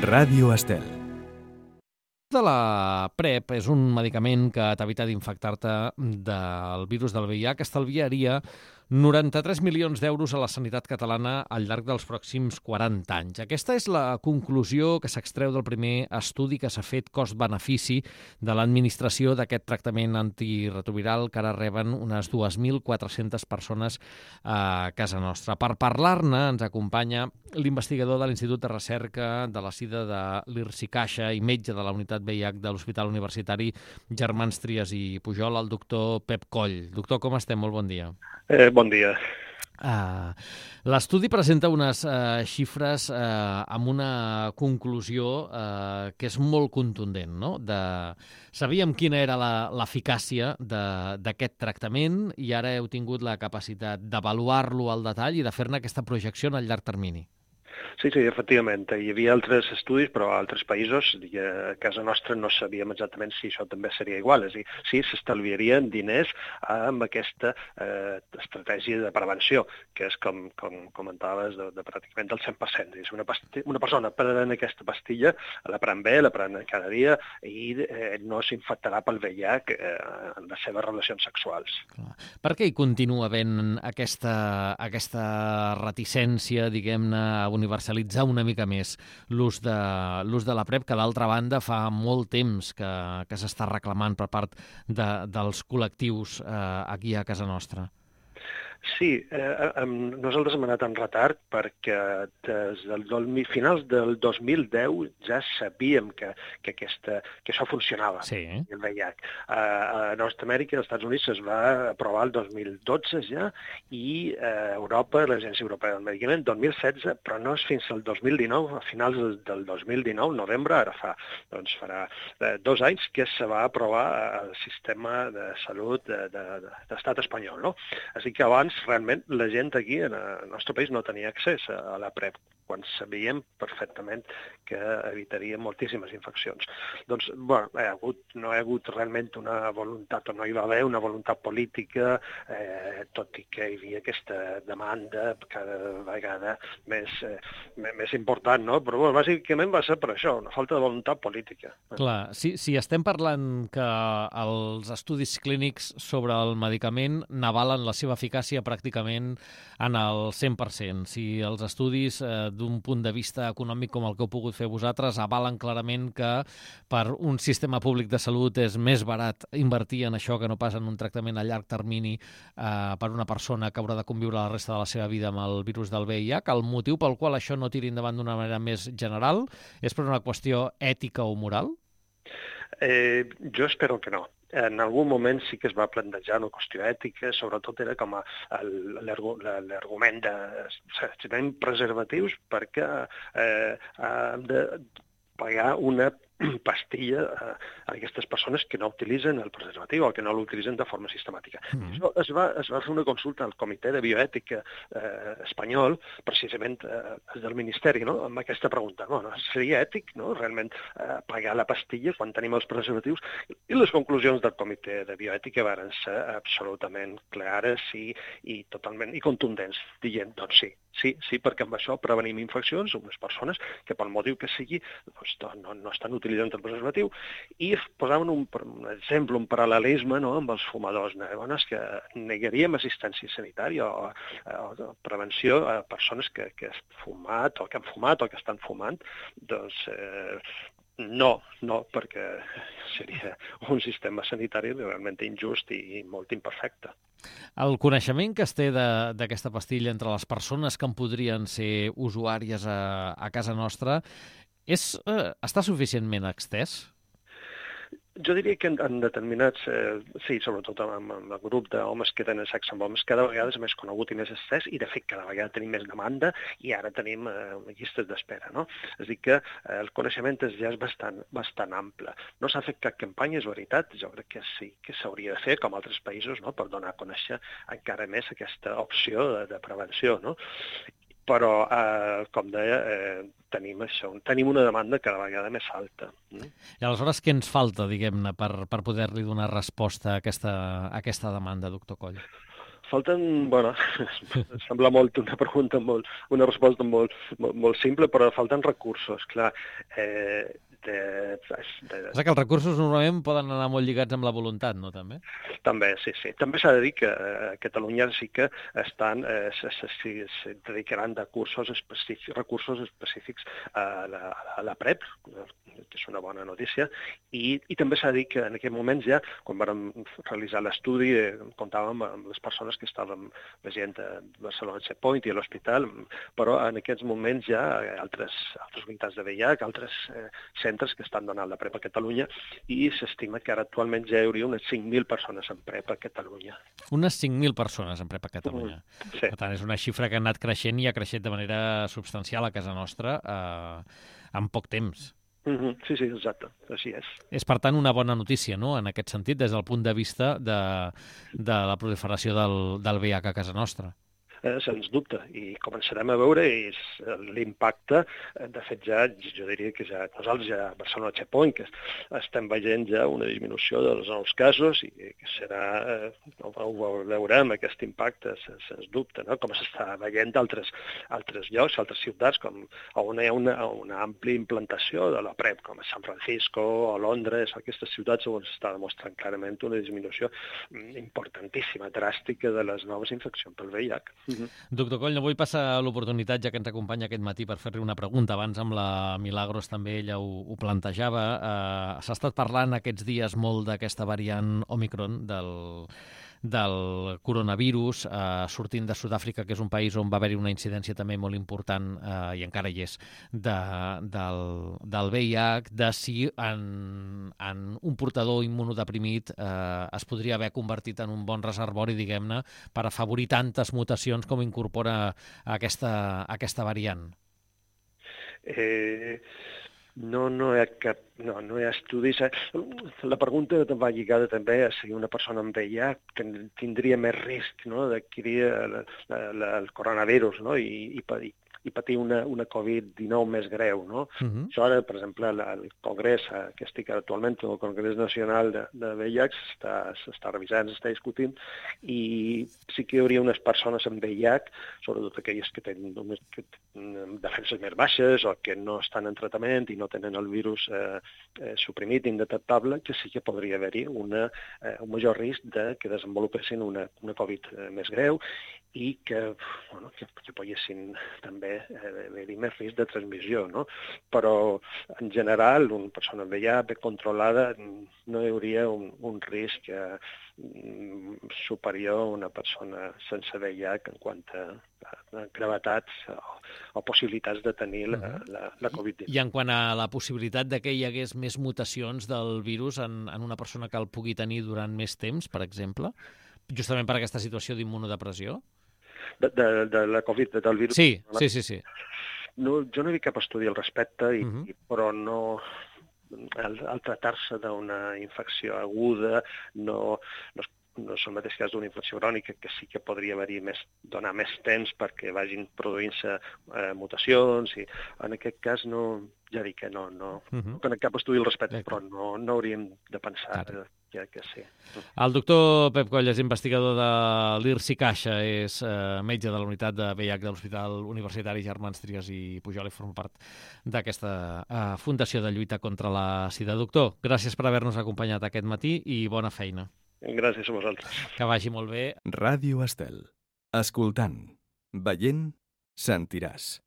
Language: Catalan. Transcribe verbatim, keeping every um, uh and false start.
Ràdio Estel. De la PrEP és un medicament que t'evita d'infectar-te del virus del V I H, estalviaria noranta-tres milions d'euros a la sanitat catalana al llarg dels pròxims quaranta anys. Aquesta és la conclusió que s'extreu del primer estudi que s'ha fet cost-benefici de l'administració d'aquest tractament antiretroviral que ara reben unes dues mil quatre-centes persones a casa nostra. Per parlar-ne ens acompanya l'investigador de l'Institut de Recerca de la SIDA de l'Irsi Caixa i metge de la unitat V I H de l'Hospital Universitari Germans Trias i Pujol, el doctor Pep Coll. Doctor, com estem? Molt bon dia. Eh, bon dia. Uh, L'estudi presenta unes uh, xifres uh, amb una conclusió uh, que és molt contundent, no? De... Sabíem quina era l'eficàcia d'aquest tractament i ara heu tingut la capacitat d'avaluar-lo al detall i de fer-ne aquesta projecció en el llarg termini. Sí, sí, efectivament. Hi havia altres estudis, però a altres països, a casa nostra no sabíem exactament si això també seria igual. És a dir, sí, s'estalviarien diners amb aquesta eh, estratègia de prevenció, que és, com, com comentaves, de, de pràcticament del cent per cent. És una, una persona prenent aquesta pastilla, la pren bé, la pren cada dia i eh, no s'infectarà pel V I H eh, en les seves relacions sexuals. Clar. Per què hi continua havent aquesta, aquesta reticència, diguem-ne, a universalitzar una mica més l'ús de, l'ús de la PrEP, que d'altra banda fa molt temps que, que s'està reclamant per part de, dels col·lectius eh, aquí a casa nostra? Sí, eh, nosaltres hem anat en retard perquè des del finals del dos mil deu ja sabíem que, que, aquesta, que això funcionava, sí. El V I H. Eh, a Nord-Amèrica, als Estats Units, es va aprovar el dos mil dotze ja, i a Europa, l'Agència Europea del Medicament, dos mil setze, però no és fins al dos mil dinou, a finals del dos mil dinou, novembre, ara fa, doncs farà eh, dos anys que se va aprovar el sistema de salut de, de, de, de l'estat espanyol, no? Així que abans realment la gent aquí en el nostre país no tenia accés a la PrEP, quan sabíem perfectament que evitaria moltíssimes infeccions. Doncs, bueno, hi ha hagut, no hi ha hagut realment una voluntat, o no hi va haver una voluntat política, eh, tot i que hi havia aquesta demanda cada vegada més, eh, més important, no? Però bueno, bàsicament va ser per això, una falta de voluntat política. Clar, si, si estem parlant que els estudis clínics sobre el medicament n'avalen la seva eficàcia pràcticament en el cent per cent, si els estudis eh, d'un punt de vista econòmic com el que heu pogut fer vosaltres avalen clarament que per un sistema públic de salut és més barat invertir en això que no pas en un tractament a llarg termini eh, per una persona que haurà de conviure la resta de la seva vida amb el virus del V I H. El motiu pel qual això no tiri endavant d'una manera més general és per una qüestió ètica o moral? Eh, jo espero que no. En algun moment sí que es va plantejar una qüestió ètica, sobretot era com a l'argument de si tenim preservatius perquè eh, hem de pagar una pastilla a aquestes persones que no utilitzen el preservatiu o que no l'utilitzen de forma sistemàtica. Mm. Això es va, es va fer una consulta al Comitè de Bioètica eh, espanyol, precisament eh, del Ministeri, no? Amb aquesta pregunta. No, no, seria ètic, no? Realment eh, pagar la pastilla quan tenim els preservatius? I les conclusions del Comitè de Bioètica van ser absolutament clares i, i totalment i contundents, dient, doncs sí, sí, sí, perquè amb això prevenim infeccions a unes persones que pel motiu que sigui doncs, no, no estan utilitzant el preservatiu, i posaven un, un exemple, un paral·lelisme, no?, amb els fumadors. No? És que negaríem assistència sanitària o, o prevenció a persones que, que han fumat o que han fumat o que estan fumant. Doncs eh, no, no, perquè seria un sistema sanitari realment injust i molt imperfecte. El coneixement que es té d'aquesta pastilla entre les persones que en podrien ser usuàries a, a casa nostra és, eh, està suficientment extès? Jo diria que en, en determinats, eh, sí, sobretot amb, amb el grup d'homes que tenen sexe amb homes, cada vegada és més conegut i més estès, i de fet cada vegada tenim més demanda i ara tenim eh, llistes d'espera, no? És a dir que eh, el coneixement és, ja és bastant, bastant ample. No s'ha fet cap campanya, és veritat, jo crec que sí que s'hauria de fer, com altres països, no?, per donar a conèixer encara més aquesta opció de, de prevenció, no? Però, eh, com deia, eh, tenim això, tenim una demanda cada vegada més alta. Mm? I aleshores què ens falta, diguem-ne, per, per poder-li donar resposta a aquesta, a aquesta demanda, doctor Coll? falten, bueno, sembla molt una pregunta, molt, una resposta molt, molt, molt simple, però falten recursos, clar. Eh, de, de... És que els recursos normalment poden anar molt lligats amb la voluntat, no, també? També, sí, sí. També s'ha de dir que a Catalunya sí que estan, eh, se, se, se, se dedicaran de cursos específics, recursos específics a la, a la PrEP, que és una bona notícia, i, i també s'ha de dir que en aquells moments ja, quan vam realitzar l'estudi, eh, comptàvem amb les persones que estàvem veient a Barcelona Checkpoint i a l'hospital, però en aquests moments ja altres, altres unitats de V I H, altres eh, centres que estan donant la PrEP a Catalunya, i s'estima que ara actualment ja hi hauria unes cinc mil persones en PrEP a Catalunya. Unes cinc mil persones en PrEP a Catalunya. Mm, sí. Per tant, és una xifra que ha anat creixent i ha creixet de manera substancial a casa nostra eh, en poc temps. Mm-hmm. Sí, sí, exacte, així és. És, per tant, una bona notícia, no?, en aquest sentit, des del punt de vista de, de la proliferació del, del V I H a casa nostra. Eh, sens dubte, i començarem a veure és l'impacte. De fet, ja, jo diria que ja nosaltres ja a Barcelona Checkpoint, que estem veient ja una disminució dels nous casos i que serà, eh, ho veurem, aquest impacte, sens, sens dubte, no? Com s'està veient d'altres altres llocs, altres ciutats, com on hi ha una, una àmplia implantació de la PrEP, com a San Francisco o Londres, aquestes ciutats on s'està demostrant clarament una disminució importantíssima, dràstica de les noves infeccions pel V I H. Uh-huh. Doctor Coll, no vull passar l'oportunitat, ja que ens acompanya aquest matí, per fer-li una pregunta. Abans amb la Milagros també ella ho, ho plantejava. Uh, S'ha estat parlant aquests dies molt d'aquesta variant Omicron del, del coronavirus, eh, sortint de Sud-àfrica, que és un país on va haver-hi una incidència també molt important, eh, i encara hi és, de, del, del V I H, de si en, en un portador immunodeprimit eh, es podria haver convertit en un bon reservori, diguem-ne, per afavorir tantes mutacions com incorpora aquesta, aquesta variant. Eh... No, no hi ha cap, no, no hi ha estudis. La pregunta va lligada també a si una persona amb V I H que tindria més risc, no?, d'adquirir el, el, el coronavirus, no?, i, i, i patir una, una Covid dinou més greu, no? Uh-huh. Això ara, per exemple, el Congrés, que estic actualment, el Congrés Nacional de, de V I H, s'està revisant, s'està discutint, i sí que hi hauria unes persones amb V I H, sobretot aquelles que tenen només que tenen defenses més baixes o que no estan en tractament i no tenen el virus eh, eh, suprimit, indetectable, que sí que podria haver-hi una, eh, un major risc de que desenvolupessin una, una Covid eh, més greu i que, bueno, que, que poguessin també haver-hi més risc de transmissió, no? Però, en general, una persona amb V I H ben controlada no hi hauria un, un risc eh, superior a una persona sense V I H en quant a, a gravetats o, o possibilitats de tenir la, la, la Covid dinou. I en quant a la possibilitat de que hi hagués més mutacions del virus en, en una persona que el pugui tenir durant més temps, per exemple, justament per aquesta situació d'immunodepressió? De, de, de la Covid, del virus? Sí, sí, sí, sí. No, jo no he vist cap estudi al respecte, i, uh-huh. i, però no... Al, al tractar-se d'una infecció aguda, no, no, no és el mateix cas d'una infecció crònica, que sí que podria haver-hi més, donar més temps perquè vagin produint-se eh, mutacions, i en aquest cas no, ja dic que no, no, uh-huh. no cap estudi al respecte, però no, no hauríem de pensar que, que, que sí. El doctor Pep Coll és investigador de l'I R S I Caixa, és eh, metge de la unitat de V I H de l'Hospital Universitari Germans Trias i Pujol, i forma part d'aquesta eh, Fundació de Lluita contra la Sida. Doctor, gràcies per haver-nos acompanyat aquest matí i bona feina. Gràcies a vosaltres. Que vagi molt bé. Ràdio Estel. Escoltant, veient, sentiràs.